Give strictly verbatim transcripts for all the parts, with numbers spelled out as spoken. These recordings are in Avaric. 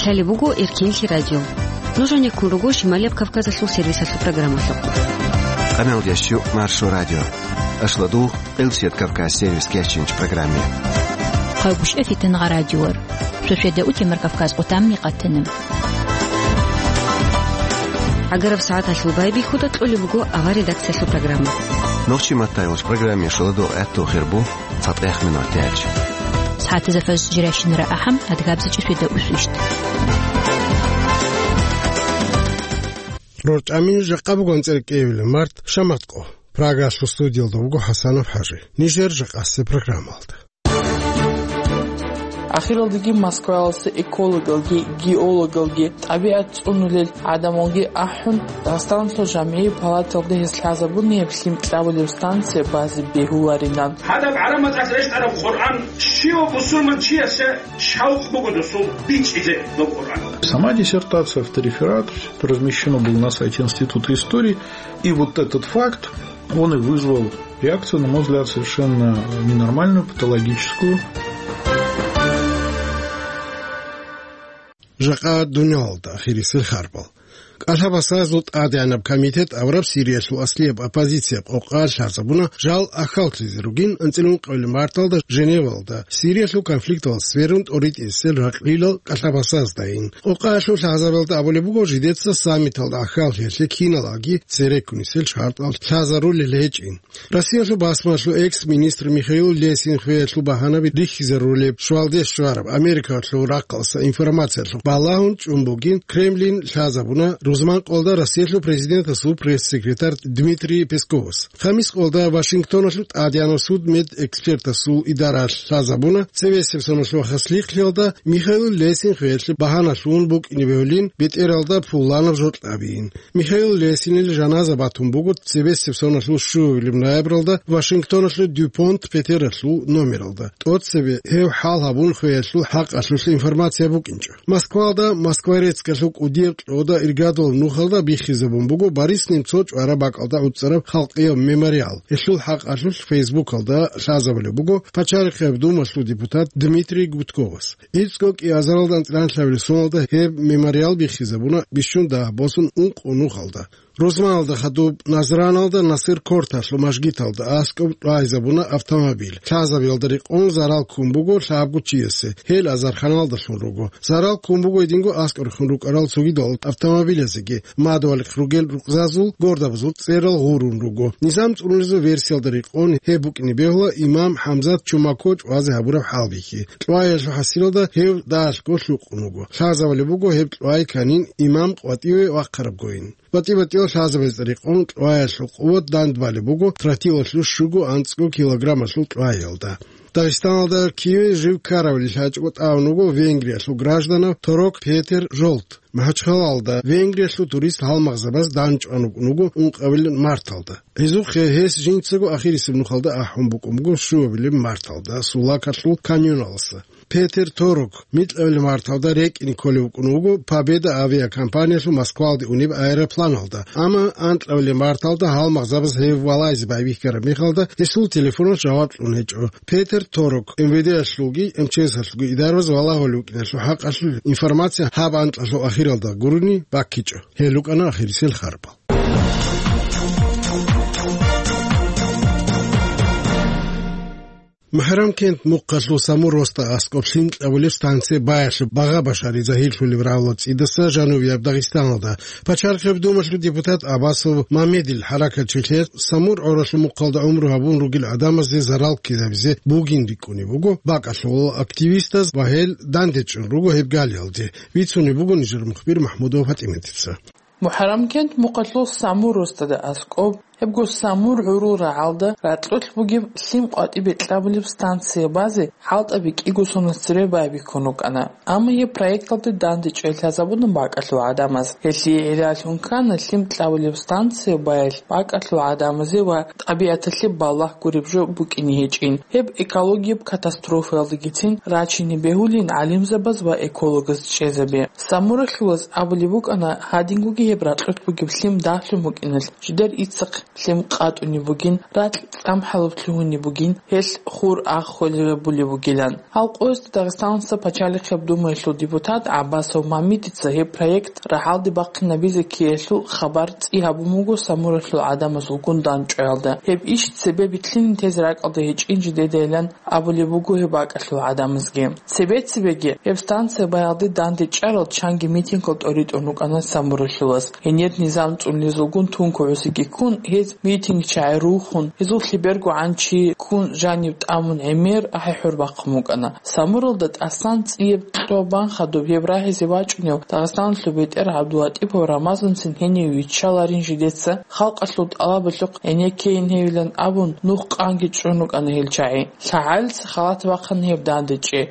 Лъалеб буго Эркенлъи радио. Нуж гьанеккун руго Шималияб Кавказалъул сервисалъул программалъухъ. Къамел ящу Маршо радио. Ашладу Къилсият Кавказ сервис кечинч программе. Хъайбушев Фитнагъа радиор. Шошеда утемар Кавказ къутамни къатана. Агараб сагӀаталъул байбихьуда кьолеб буго авар редакциялъул программа. Нохчи маттайвач программе шоладу гӀатту хирбу. ЦатӀех минут тяч. СагӀатазда фажр жиращинара ахӀам, адгабзичӀи шведа усвищт. РорчӀамин жакъа бугон цӀеркӀевилин март шаматкъо. Прагалъул студиялда вуго ХӀасанов ХӀажи. Нижер жакъасеб программалда. Ахиралдаги Москваялъа экологалги, геологалги, тӀабигӀат цӀунулел гӀадамалги ахӀун, Дагъистаналъул жамгӀи палаталда гьез лъазабуни гьеб лъим кьабулеб станция базе бегьуларинан. Гьадаб гӀараб мацӀалъ рещтӀараб Къуръан щивав бусурманчиясе шавкъ буго досул бичӀчӀизе доб Къуръан. Сама диссертация, автореферат, размещено было на сайте Института истории, и вот этот факт, он и вызвал реакцию, на мой взгляд, совершенно ненормальную, патологическую. Жакъа дуниялалда ахирисел харбал. КӀалъабасазул тӀадегӀанаб комитет авараб Сириялъул аслияб оппозицияб къокъа лъазабуна жал ахьаллъизе ругин анцӀила ункъабилеб марталда Женевалда, Сириялъул конфликталда сверун тӀоритӀисел ракьилал кӀалъабасаздайин. Къокъаялъул лъазабиялда абулеб буго, жидеца саммиталда ахьаллъиялъе киналги цереккунисел шартӀал лъазарулел гьечӀин. Россиялъул басмалъул экс-министр Михаил Лесин хвеялъул багьанаби рихьизарулеб щвалде щвараб Америкалъул рахъалъа информациялъухъ балагьун чӀун бугин, Кремлин лъазабуна рузман къолда Россиялъул президентасул пресс-секретарь Дмитрий Песковас. Хамис къолда Вашингтоналъул тӀадегӀанав суд медэкспертасул идара лъазабуна цебесеб соналъул хасихълъиялда Михаил Лесин хвеялъе багьаналъун букӀине бегьулин бетӀералда пуланаб жо кьабиин. Михаил Лесинил жаназа батун буго цебесеб соналъул щуабилеб ноябралда Вашингтоналъул Дюпонт петералъул номералда. ТӀоцебе гьев хӀал гьабун хвеялъул хӀакъалъулъ информация букӀинчӀо. Москвалда Москворецкалъул кӀудияб кьода иргадулаб нухалда биххизабун буго Борис Немцов чӀвараб бакӀалда гӀуцӀараб халкъияб мемориал. Гьелъул хӀакъалъулъ Фейсбукалда лъазабулеб буго Пачарихъеб Думалъул депутат Дмитрий Гудковас. ИцӀго кӀиазаралда анцӀила соналда гьеб мемориал биххизабуна бищун дагь босун ункъо нухалда. Рузманалда хадуб Назраналда Насир Корталъул мажгиталда аскӀоб кьвайзабуна автомобиль. Лъазабиялда рекъон зарал ккун буго лъабго чиясе, гьел азарханалдалъун руго. Зарал ккун буго гьединго аскӀор хун рукӀарал цогидал автомобилазеги, мадугьалихъ ругел рукъзазул гордабазул цӀерал гъурун руго. Низам цӀунулезул версиялда рекъон гьеб букӀине бегьула имам ХӀамзат Чумако чӀвазе гьабураб хӀалбихьи. Кьваялъул хӀасилалда гьев дагьалъго лъукъун вуго. Лъазабулеб буго гьеб кьвай канин имам къватӀиве вахъарабгойин. БатӀи-батӀиял лъазабазда рекъон кьваялъул къуват дандбалеб буго тротилалъул щуго анцӀго килограммалъул кьваялда. Дагъистаналда киве жив ккарабали лъачӀого тӀамун вуго Венгриялъул гражданав Торок Петер Жолт. МахӀачхъалалда Венгриялъул турист гьалмагъзабаз данчӀван вукӀун вуго ункъабилеб марталда. Гьезухъе гьес жинцаго ахирисеб нухалда ахӀун букӀун буго щуабилеб марталда Сулакалъул каньоналъа. Петер Торок микьабилеб марталда рекӀине кколев вукӀун вуго Победа авиакомпаниялъул Москвалде унеб аэропланалда, амма анкьабилеб марталда гьалмагъзабаз гьев валазе байбихьараб мехалда гьесул телефоналъ жаваб кьун гьечӀо. Петер Торок МВД-ялъулги МЧС-алъулги идарабаз валагьулев вукӀиналъул хӀакъалъулъ информация гьаб анкьалъул ахиралда гурони баккичӀо. Гьел рукӀана ахирисел харбал. МухӀаррамкент мухъалъул Самур росда аскӀоб лъим кьабулеб станция баялъуб багъа-башари загьирлъулеб рагӀула цӀидаса жанубияб Дагъистаналда. Пачарихъеб Думалъул депутат Абасов Мамедил хӀаракатчилъе Самур гӀоралъул мухъалда гӀумру гьабун ругел гӀадамазде зарал ккезабизе бугин рикӀкӀунеб буго бакӀалъулал активистаз ва гьел дандечӀун руго гьеб галиялде, бицунеб буго нижер мухбир МахӀмудова ПатӀиматица. МухӀаррамкент мухъалъул Самур росдада аскӀоб, гьебго Самур гӀурул рагӀалда ракьулъ бугеб лъим къватӀибе кьабулеб станция базе хӀалтӀаби кӀиго сона цере байбихьун рукӀана. Амма гьеб проекталде дандечӀей лъазабуна бакӀалъул гӀадамаз. Гьелъие гӀиллалъун ккана лъим кьабулеб станция баялъ бакӀалъул гӀадамазе ва тӀабигӀаталъе балагь гуреб жо букӀине гьечӀин. Гьеб экологияб катастрофаялдагицин рачине бегьулин гӀалимзабаз ва экологаз чӀезаби. Самуралъулаз абулеб букӀана, гьадингоги гьеб ракьулъ бугеб лъим дагьлъун букӀиналъ, жидер иццахъ лъим къатӀунеб бугин, ракь цӀамхӀалуб лъугьунеб бугин, гьелъ хур аххвелеб бугилан. Гьал къоязда Дагъистаналъа пачалихъеб думаялъул депутат ГӀаббасов Мамидица гьеб проект рагӀалде бахъинабизе ккеялъул хабар цӀи гьабун буго Самуралъул гӀадамазулгун дандчӀваялда. Гьеб иш цебе битлъине тезе ракӀалда гьечӀин жидедайилан абулеб буго гьеб бакӀалъул гӀадамазги. Цебе-цебеги гьеб станция баялде дандечӀарал чанги митингал тӀоритӀун рукӀана Самуралъулас. Гьенир низам цӀунлъизулгун тункугӀусиги ккун, гьез митингчагӀи рухун, гьезул лъебергогӀан чи ккун жаниб тӀамун гӀемер ахӀи-хӀур бахъун букӀана. Самуралда тӀасан цӀияб кьо бан хадуб гьеб рагьизе вачӀунев Дагъистаналъул бетӀер ГӀабдулатӀипов Рамазанцин гьенив виччаларин жидеца, халкъалъул тӀалабалъухъ гӀенеккейин гьевилан абун, нух къанги чӀун рукӀана гьел чагӀи. ЛъагӀалица халат бахъана гьеб дандечӀи.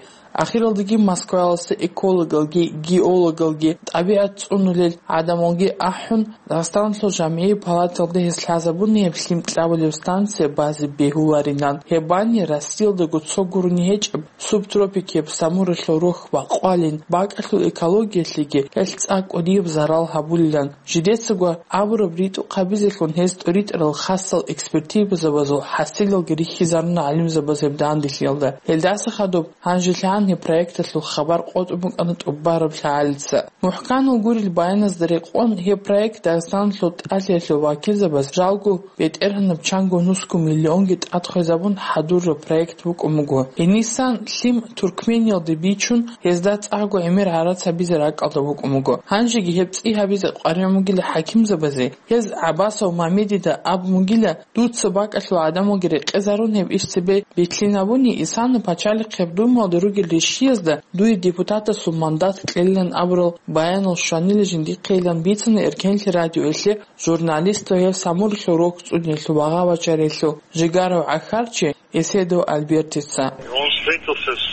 Ахиралдаги Москваялъа экологалги, геологалги, тӀабигӀат цӀунулел гӀадамалги ахӀун, Дагъистаналъул жамгӀи палаталда гьез лъазабуна гьеб лъим кьабулеб станция базе бегьуларилан. Гьеб бани Россиялдаго цо гурони гьечӀеб субтропикияб Самуралъул рохь бакъвалин, бакӀалъул экологиялъеги гьелъ цӀакъ кӀудияб зарал гьабулилан. Жидецаго абураб ритӀухъ гьабизелъун гьез тӀоритӀарал хасал экспертизабазул хӀасилалги рихьизаруна гӀалимзабаз гьеб данделъиялда. Гьелдаса хадуб гьанжелъагӀан гьеб проекталъул хабар къотӀун букӀана тӀубараб лъагӀалица. МухӀканал гурел баяназда рекъон, гьеб проект Дагъистаналъул тӀалъиялъул вакилзабаз жалго БетӀергьанаб чанго нусго миллионги тӀад хвезабун хӀадураб проект букӀун буго. Гьенисан лъим Туркмениялде бичун, гьезда цӀакъго гӀемер гӀарац гьабизе ракӀалда букӀун буго. Гьанжеги гьеб цӀи гьабизе къваригӀун бугила хӀакимзабазе, гьез ГӀаббасов Мамедида абун бугила, дуца бакӀалъул гӀадамалги рекъезарун гьеб иш цебе битлъинабуни, исана пачалихъеб думаялда ругел ришиязда дуе депутатасул мандат кьелилан абурал баянал щванила жиндихъейилан бицана Эркенлъи радиоялъе журналистал гьев Самуралъул рохь цӀуниялъул багъа-бачариялъул жигарав гӀахьарчи Эседов Альбертица. Он встретился с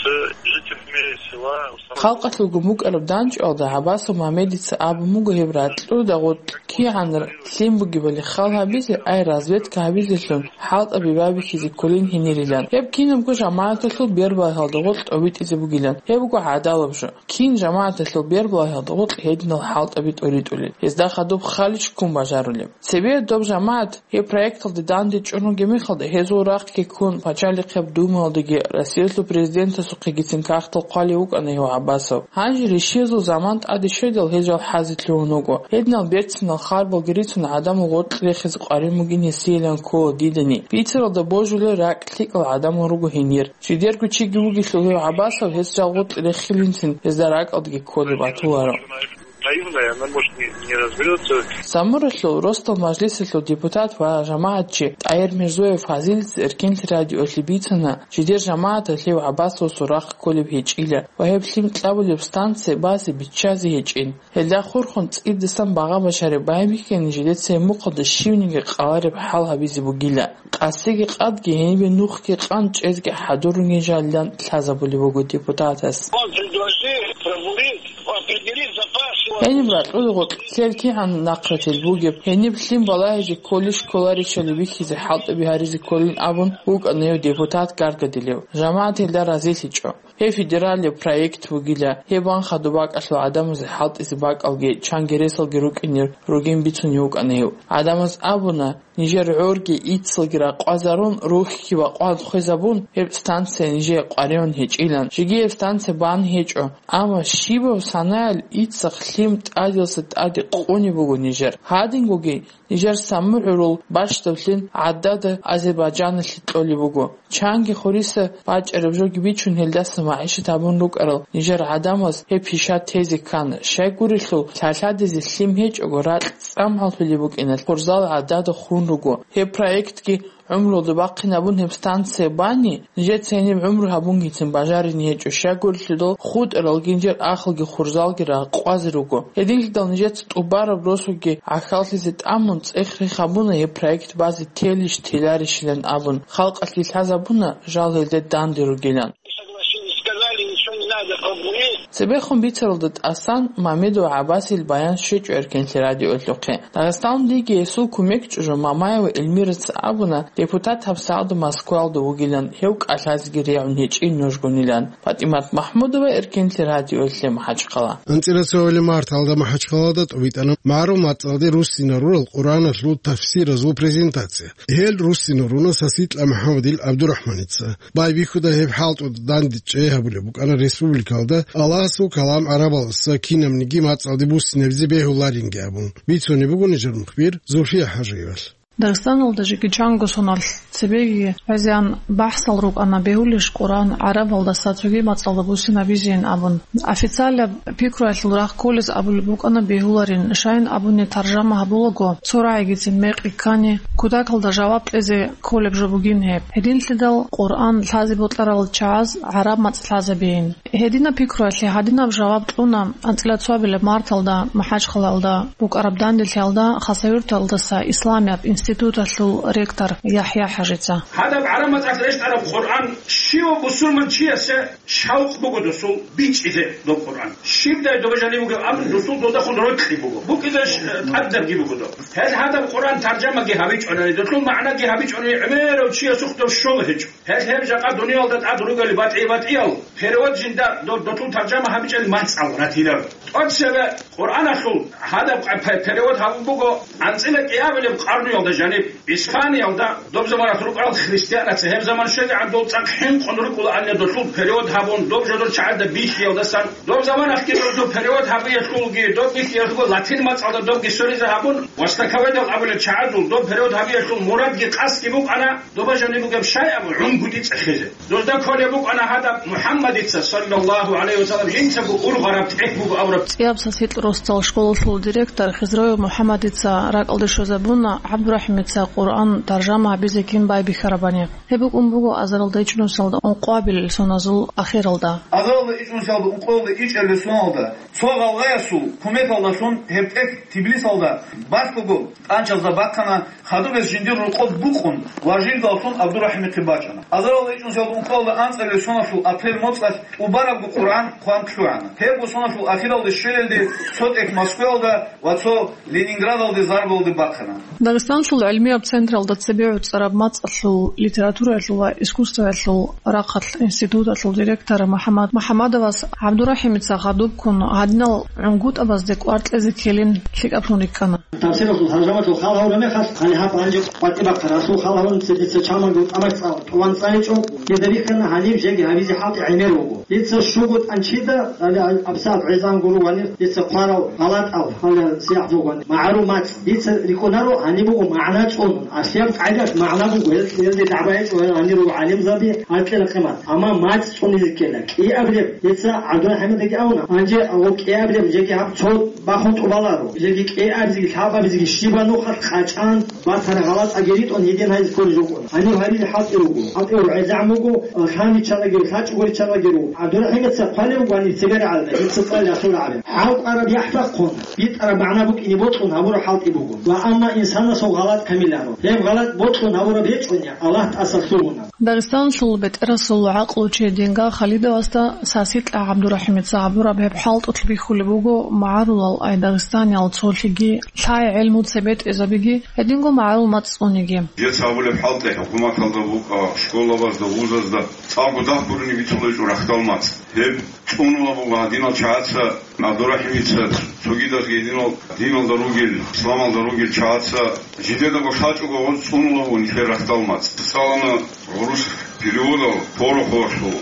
жителями села Самур. Халкъалъулгун букӀараб данчӀвалда ГӀаббасов Мамедица абун буго гьеб ракьуда гъоркь кигӀан лъим бугебали хал гьабизе, ай разведка гьабизелъун хӀалтӀаби байбихьизе кколин гьенирилан. Гьеб кинабго жамагӀаталъул бербагьалда гъоркь тӀобитӀизе бугилан. Гьеб буго гӀадалаб жо. Кин жамагӀаталъул бербагьалда гъоркь гьединал хӀалтӀаби тӀоритӀулел, гьезда хадуб халич ккун бажарулеб. Цебе доб жамагӀат гьеб проекталде дандечӀун ругеб мехалда, гьезул рахъги ккун, пачалихъеб думаялдаги Россиялъул президентасухъегицин кагътал хъвалев вукӀана гьев ГӀаббасов. Гьанже ришиязул заман тӀаде щведал гьел жал хӀазе лъугьун вуго. Гьединал берцинал харбалги рицун гӀадамал гъоркь рехизе къваригӀун бугин гьесиялан ккола дидани. Бицаралда божулел ракь лъикӀал гӀадамал руго гьенир. Жидерго чиги вугелъул гьев ГӀаббасов гьес жал гъоркь рехилинцин гьезда ракӀалдаги кколеб батуларо. Наивная, она может не, не разберётся. Самуралъул росдал мажлисалъул депутат ва жамагӀатчи ТӀагьир Мирзоев Фазилица Эркенлъи радиоялъе бицана, жидер жамагӀаталъ гьев ГӀаббасовасул рахъ кколеб гьечӀила ва гьеб лъим кьабулеб станция базе биччазе гьечӀин. Гьелда хурхун цӀидасан багъа-башари байбихьани жидеца гьеб мухъалда щивниги къалареб хӀал гьабизе бугила. Къасиги къадги гьенибе нухги къан чӀезги хӀадурунги жалилан лъазабулеб буго депутатас. Он предложил пробурить, определить запас. Гьениб ракьулел гъоркь цел кигӀан нахърател бугеб, гьениб лъим балагьизе кколищ кколарищали бихьизе хӀалтӀаби гьаризе кколин абун вукӀана гьев депутат гаргадилев. ЖамагӀат гьелда разилъичӀо. Гьеб федералияб проект бугила, гьеб ванха доб бакӀалъул гӀадамазе хӀалтӀизе бакӀалги чангересалги рукӀине ругин бицунев вукӀана гьев. ГӀадамаз абуна, нижер гӀорги иццалги ракъвазарун, рухьги бакъван хвезабун, гьеб станция нижее къваригӀун гьечӀилан. Жеги гьеб станция бан гьечӀо, амма щибаб санаялъ иццахъ лъим тӀадилса тӀаде къунеб буго нижер. Гьадингоги нижер самугӀурул бащдаб лъим гӀадада Азербайджаналъе кьолеб буго. Чанги хуриса бачӀараб жоги бичун, гьелдаса магӀишат гьабун рукӀарал нижер гӀадамаз гьеб пиша тезе ккана. Щайгурелъул, лъалъадизе лъим гьечӀого, ракь цӀамхӀаллъулеб букӀиналъ, хурзал гӀадада хун руго. Гьеб проектги гӀумруялда бахъинабун гьеб станция бани, нижеца гьениб гӀумру гьабунгицин бажарине гьечӀо, щайгурелъул хутӀарал гинжер ахалги хурзалги ракъвазе руго. Гьединлъидал нижеца тӀубараб росулги гӀахьаллъизе тӀамун цӀех-рех гьабуна гьеб проект базе телищ-теларищилан абун, халкъалъе лъазабуна жал гьелде данде ругилан. Согласились, сказали, ничего не надо, пробурить. Цебехун бицаралда тӀасан Мамедов ГӀаббасил баян щвечӀо эркенлъи радиоялъухъе. Дагъистаналдеги гьесул кумек чӀужу Мамаева Эльмираца абуна депутат гьабсагӀалда Москваялда вугилан, гьев кӀалъазеги регӀун гьечӀин нужгунилан. ПатӀимат МахӀмудова, эркенлъи радиоялъе, МахӀачхъала. АнцӀила цоял марталда МахӀачхъалада тӀубитӀана магӀарул мацӀалде руссинал рурал Къуръаналъул тафсиразул презентация. Гьел руссинал руна Саситла МухӀаммадил ГӀабдурахӀманица. Байбихьуда гьеб хӀалтӀуда дандечӀей гьабулеб букӀана республикалда Аллагьасул калам гӀарабалдаса кинабниги мацӀалде буссинабизе бегьуларинги абун. Бицунеб буго нижер мухбир Зульфия ХӀажиевалъ. Дагъистаналда жеги чанго соналъ цебеги гӀезегӀан бахӀсал рукӀана, бегьулищ Къуръан гӀарабалдаса цоги мацӀалда буссинабизейин абун. Официалаб пикруялъул рахъ кколез абулеб букӀана бегьуларин, щайин абуни таржама гьабулаго, цо рагӀигицин мекъи ккани, кутакалда жаваб кьезе кколеб жо бугин гьеб. Гьединлъидал Къуръан лъазе бокьарал чагӀаз гӀараб мацӀ лъазабейин. Гьединаб пикруялъе гьадинаб жаваб кьуна анцӀила цоабилаб марталда МахӀачхъалалда букӀараб данделъиялда Хасавюрталдаса исламияб институталъул ректор ЯхӀя ХӀажица. Гьадаб гӀараб мацӀалъ рещтӀараб Къуръан щивав бусурманчиясе шавкъ буго досул бичӀчӀизе доб Къуръан. Щибдай доба жаниб бугеб абун досул додахун рокьи буго. БукӀизе, э, тӀадабги буго доб. Гьел гьадаб Къуръан таржамаги гьабичӀонани, досул магӀнаги гьабичӀонани гӀемерав чиясухъ доб щола гьечӀо. Гьел гьеб жакъа дуниялда тӀад ругели батӀи-батӀиял, перевод жинда доб досул таржама гьабичӀел мацӀал ратиларо. ТӀоцебе Къуръаналъул гьадаб къа-, пе-, перевод гьабун буго анцӀила кӀиабилеб къарнуялда жаниб, Испаниялда доб заманалъ рукӀарал христианаца, гьеб заман щвезегӀан дол цӀакъ хӀинкъун рукӀула анне досул перевод гьабун, доб жодор чагӀазда бихьиялдасан, доб заманалъги досул перевод гьабиялъулги, доб бихьиялъулго латин мацӀалда добги соризе гьабун, востоковедал абулел чагӀазул доб перевод гьабиялъул мурадги къасдги букӀана, доба жаниб бугеб щай абун гӀунгутӀи цӀехезе. Дозда кколеб букӀана гьадаб МухӀаммадица, саллаллагьу гӀалайгьи вассалам, жинцаго ургъараб тӀехь буго абураб. ЦӀияб Саситла росдал школалъул директор Хизроев МухӀаммадица ракӀалде щвезабуна ГӀабдурахӀимица Къуръан таржама гьабизе кин байбихьарабани. Гьеб букӀун буго азаралда ичӀнусиялда ункъоабилел соназул ахиралда. Азаралда ичӀнусиялда ункъоялда ичӀабилел соналда цо гъалгъаясул кумекалдалъун гьеб тӀехь Тбилисалда бахъуго тӀанчазда бахъана. Хадуб гьес жиндир рокъоб букъун ва жиндаллъун ГӀабдурахӀимихъе бачӀана. Азаралда ичӀнусиялда ункъоялда анцӀабилеб соналъул апрель моцӀалъ тӀубарабго Къуръан хъван лъугӀана. Гьебго соналъул ахиралде щвелелде цо тӀехь Москваялда ва цо Ленинградалде зарбалде бахъана. Дагъистанлъул гӀилмияб централда цебе гӀуцӀараб мацӀалъул, литератураялъул ва искусствоялъул рахъалъ институталъул директор МухӀаммад МухӀаммадовас ГӀабдурахӀимица хадубккун гьадинал гӀунгутӀабазде кӀвар кьезе ккелин лъикӀаблъун рикӀкӀана. Тавсиралъул таржамалъул хал гьавураб мехалъ, гьале гьаб гьанже къватӀибахъа расул хал гьавун цебе дица чамалго тӀамах цӀал, тӀуван цӀаличӀо, дида бихьана гьаниб жеги гьабизе хӀалтӀи гӀемер вуго. Дица щуго тӀанчида, гьале абсагӀат гӀезан гуро ванир, дица хъварал гъалатӀал, гьале сияхӀ бугони, магӀарул мацӀ. Дица рикӀунаро гьаниб буго магӀна цӀунун, аслияб къайдалъ магӀна буго, гьел, гьелде дагӀба гьечӀо, гьел гьанир руго гӀалимзаби, гьаркьила къимат. Амма мацӀ цӀунизе ккела. КӀиабилеб, дица ГӀабдурахӀиматаги абуна, гьанже гьаб кӀиабилеб жеги гьаб цо бахун тӀубаларо. Жеги кӀиабизеги, лъабабизеги щибанухъалъ къачӀан, батара гъалатӀаги ритӀун гьедин гьайзе кколел рукӀуна. Гьанив гьаризе хӀалтӀи руго. ХӀалтӀи руго гӀезегӀан буго, лъан риччанаги, лъачӀого риччанаги руго. ГӀабдурахӀимица хъвалев вуго гьанив цебе рагӀалда, дица цӀалиялъул рагӀалда. ХӀалкӀвараб яхӀ бахъун, битӀараб магӀна букӀине бокьун гьабураб хӀалтӀи буго. Ва амма инсанасул гъалатӀ камиларо. Гьеб гъалатӀ бокьун гьабураб гьечӀони, Аллагь тӀаса лъугьуна. Дагъистанлъул бетӀерасул гӀакълучи Динга Халидовасда Саситла ГӀабдурахӀимица гьабураб гьеб хӀалтӀулъ бихьулеб буго магӀарулал, ай дагъистаниял цолъиги лъай гӀелму цебетӀезабиги, гьединго магӀарул мацӀ цӀуниги. Жеца гьабулеб хӀалтӀи хӀукуматалда букӀа, школабазда, вузазда цӀакъго дагь гурони бицунеб гьечӀо рахьдал мацӀ. Гьеб цӀунула буго гьадинал чагӀаца, ГӀабдурахӀимица, цогидазги гьединал диналда ругел, исламалда ругел чагӀаца, жидедаго лъачӀого гъоз цӀунула буго нилъер рахьдал мацӀ. ЦӀалана гӀурус переводал Пороховалъул,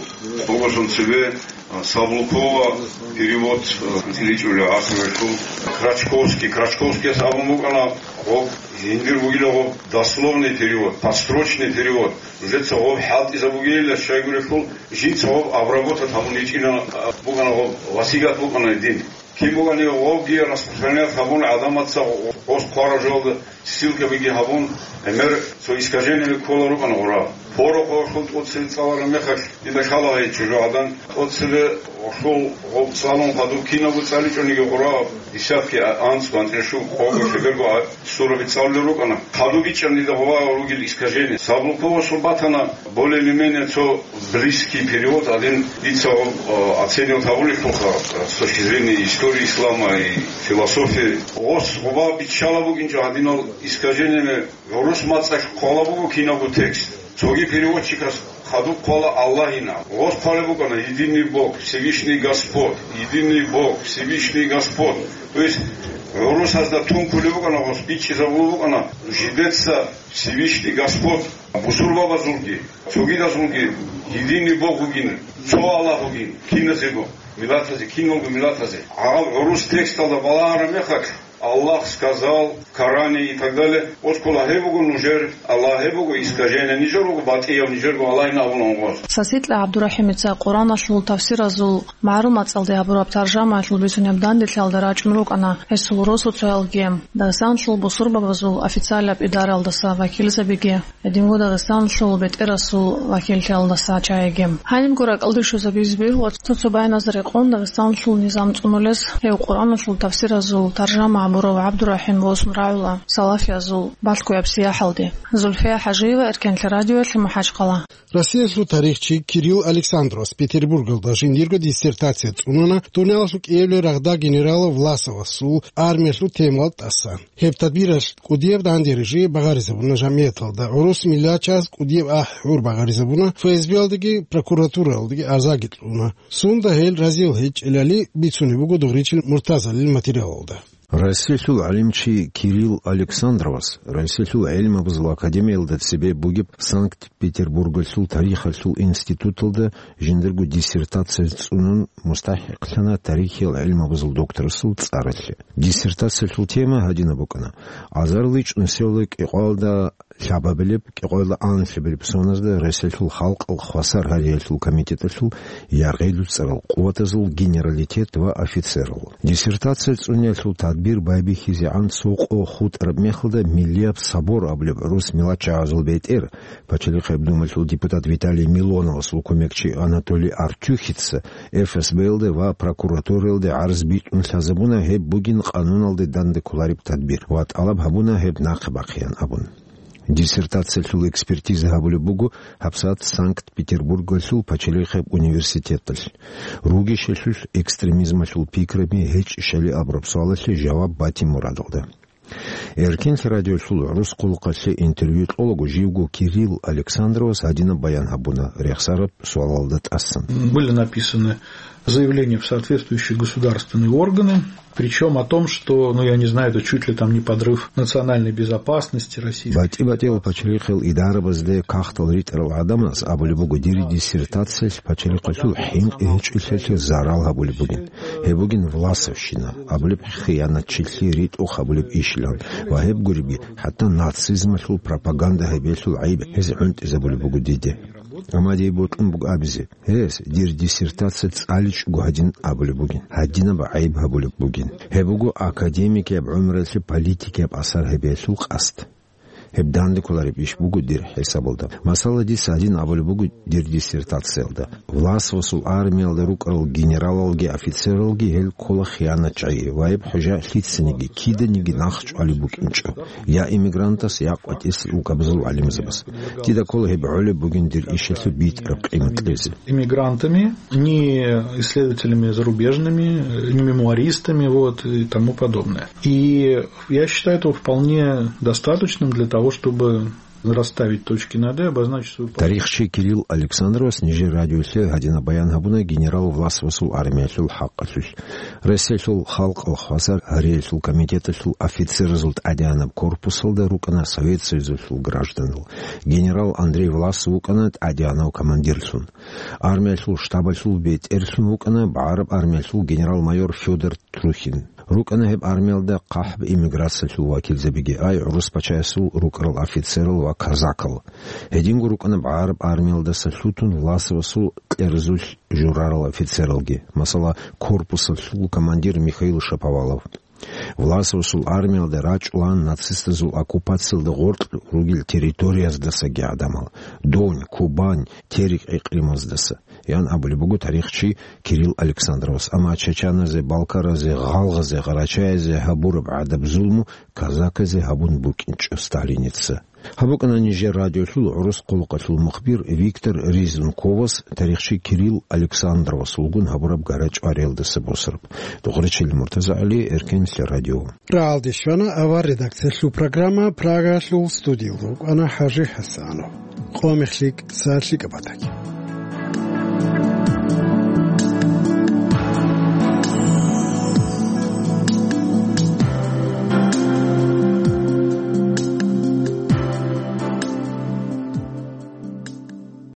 Пороховалъул цебе, а, Саблукова перевод, а, ричӀулев гӀасулелъул, Крачковский, Крачковскияс абун букӀана, гъоб жиндир бугила гъоб дословный перевод, подстрочный перевод. Жеца гъоб хӀалтӀизабугейилла щайгурелъул, жинца гъоб обработать гьабун гьечӀина, а, бугана гъоб, васигат букӀана дин. Кин бугони гъобги распространять гьабун, гӀадамаца гъос хъвараб жоялда ссылкабиги гьабун, гӀемер цо искажениеби ккола рукӀана гъура. Пороховалъул тӀоцебе цӀалараб мехалъ, дида лъала гьей чӀужугӀадан, тӀоцебе Гъолъул гъоб цӀалун хадуб кинабго цӀаличӀониги гъура десятки, а, анцӀго, анцӀила щуго, къого, щиберго, а, сураби цӀалулел рукӀана. Хадуб бичӀчӀана дида гъова ругел искажение. Саблукова сур батана более или менее цо близкий перевод, один дица гъоб, а, оценивать гьабулелъулха, а, с точки зрения истории ислама и философии. Гъос гъова биччала букӀинчӀо гьадинал искажениями. ГӀурус мацӀалъ хъвала буго кинабго текст. Цоги переводчикас хадуб хъвала Аллагьина. Гъос хъвалеб букӀана Единый Бог, Всевышний Господь, Единый Бог, Всевышний Господь. То есть гӀурусазда тункулеб букӀана, гъос бичӀчӀизабулеб букӀана, жидеца Всевышний Господь бусурбабазулги, цогидазулги Единый Бог вугин, цо Аллагь вугин, киназего миллатазе, киналго миллатазе. Гьаб гӀурус тексталда балагьараб мехалъ, Аллах сказал в Коране и так далее. Оскола гьеб буго нужер Аллагь, гьеб буго искажение, нижер руго батӀияв, нижерго Аллагьин абуна гъос. Сасикьа ГӀабдурахӀимица Къуръаналъул тафсиразул магӀарул мацӀалде гьабураб таржамаялъул бицунеб данделъиялда рачӀун рукӀана гьесул росуцоялги, Дагъистаналъул бусурбабазул официалаб идараялдаса вакилзабиги. Гьединго Дагъистаналъул бетӀерасул вакиллъиялдаса чагӀиги. Гьанибго ракӀалде щвезабизе бегьула цо-цо байназда рекъон Дагъистаналъул низам цӀунулес гьев Къуръаналъул тафсиразул таржама гьабурав ГӀабдурахӀим восун рагӀула салафиязул балъгояб сияхӀалде. Зульфия ХӀажиева, Эркенлъи радиоялъе, МахӀачхъала. Россиялъул тарихчи Кирилл Александровас Петербургалда жиндирго диссертация цӀунана дуниялалъул кӀиабилеб рагъда генерал Власовасул армиялъул темалда тӀасан. Гьеб тадбиралъ кӀудияб данде рижи багъаризабуна жамгӀияталда, гӀурус миллатчияс кӀудияб ахӀи-гӀур багъаризабуна, ФСБ-ялдаги прокуратуралдаги арзаги кьуна. Сунда гьел разиял гьечӀелали бицунеб буго Дугъричил Муртазалил материалалда. Россиялъул гӀалимчи Кирилл Александровас Россиялъул гӀелмабазул академиялда цебе бугеб Санкт-Петербургалъул тарихалъул институталда жиндирго диссертация цӀунун мустахӀикълъана тарихиял гӀелмабазул докторасул цӀаралъе. Диссертациялъул тема гьадинаб букӀана: азарилан чӀунсевла кӀикъоялда лъабабилеб, кӀикъоялда анлъабилеб соназда Россиялъул халкъалъ хвасар гьариялъул комитеталъул яргъи-дуцӀарал къуватазул генералитет ва офицерал. Диссертация цӀуниялъул тадбир байбихьизегӀан цо къо хутӀараб мехалда Миллияб собор абулеб гӀурус миллатчагӀазул бетӀер, Пачалихъеб Думаялъул депутат Виталий Милоновасул кумекчи Анатолий Артюхица ФСБ-ялде ва прокуратуралде гӀарз битӀун лъазабуна, гьеб бугин къануналде данде кколареб тадбир, ва тӀалаб гьабуна гьеб нахъе бахъеян абун. Диссертациялъул экспертиза гьабулеб буго гьабсагӀат Санкт-Петербургалъул Пачалихъеб университеталъ, ругищалъулъ экстремизмалъул пикраби гьечӀищали абураб суалалъе жаваб батин мурадалда. Эркенлъи радиолъул гӀурус хъулухъалъе интервью кьолаго живго Кирилл Александровас гьадинаб баян гьабуна рехсараб суалалда тӀасан. Были написаны заявления в соответствующие государственные органы, причём о том, что, ну, я не знаю, это чуть ли там не подрыв национальной безопасности России. БатӀи-батӀиял пачалихъал идарабазде кагътал ритӀарал гӀадамаз абулеб буго, дир диссертациялъ пачалихъалъул хӀинкъи гьечӀолъиялъе зарал гьабулеб бугин. Гьеб бугин власовщина абулеб хиянатчилъи ритӀухъ гьабулеб ишилан ва гьеб гуриби, хӀатта нацизмалъул пропаганда гьабиялъул гӀайиб гьез гӀунтӀизабулеб буго диде. Амма дие бокьун буго абизе, гьес дир диссертация цӀаличӀого гьадин абулеб бугин, гьадинаб гӀайиб гьабулеб бугин. Гьеб буго академикияб гӀумруялъе политикияб асар гьабиялъул къасд. Гьеб данде кколареб иш буго дир хӀисабалда. Масала, дица гьадин абулеб буго дир диссертациялда: Власовасул армиялда рукӀарал генералалги офицералги гьел ккола хиянатчагӀи ва гьеб хӀужа лъицаниги, киданиги нахъчӀвалеб букӀинчӀо, я иммигрантас, я къватӀилъ рукӀабазул гӀалимзабаз. Дида ккола гьеб гӀолеб бугин дир ишалъе битӀараб къимат кьезе. Иммигрантами, ни исследователями зарубежными, ни мемуаристами, вот, и тому подобное. И я считаю этого вполне достаточным для того, чтобы расставить точки над «и», обозначить свою позицию. Тарихчи Кирилл Александровас нижер радиолъе гьадинаб баян гьабуна генерал Власовасул армиялъул хӀакъалъулъ. Россиялъул халкъалъ хвасар гьариялъул комитеталъул офицеразул тӀадегӀанаб корпусалда рукӀана Совет Союзалъул гражданал. Генерал Андрей Власов вукӀана тӀадегӀанав командирлъун. Армиялъул штабалъул бетӀерлъун вукӀана багӀараб армиялъул генерал-майор Фёдор Трухин. РукӀана гьеб армиялда хъахӀаб эмиграциялъул вакилзабиги, ай гӀурус пачаясул рукӀарал офицерал ва казакал. Гьединго рукӀана багӀараб армиялдаса лъутун Власовасул кьерзулъ журарал офицералги, масала, корпусалъул командир Михаил Шаповалов. Власовасул армиялда рачӀунаан нацистазул оккупациялда гъоркь ругел территорияздасаги гӀадамал: Донь, Кубань, Терек гӀикълимаздаса. ян абулеб буго тарихчи Кирилл Александровас. Амма чачаназе, балкаразе, гъалгъазе, гъарачаязе гьабураб гӀадаб зулму казаказе гьабун букӀинчӀо Сталиница. Гьаб букӀана нижер радиолъул гӀурус хъулухъалъул мухбир Виктор Ризунковас тарихчи Кирилл Александровасулгун гьабураб гара-чӀвариялдаса босараб. Духърачил МуртазагӀали, Эркенлъа радио. РагӀалде щвана авар редакциялъул программа, Прагалъул студиялда рукӀана ХӀажи ХӀасанов. Къо мехлъи, са лъикӀаб батаги.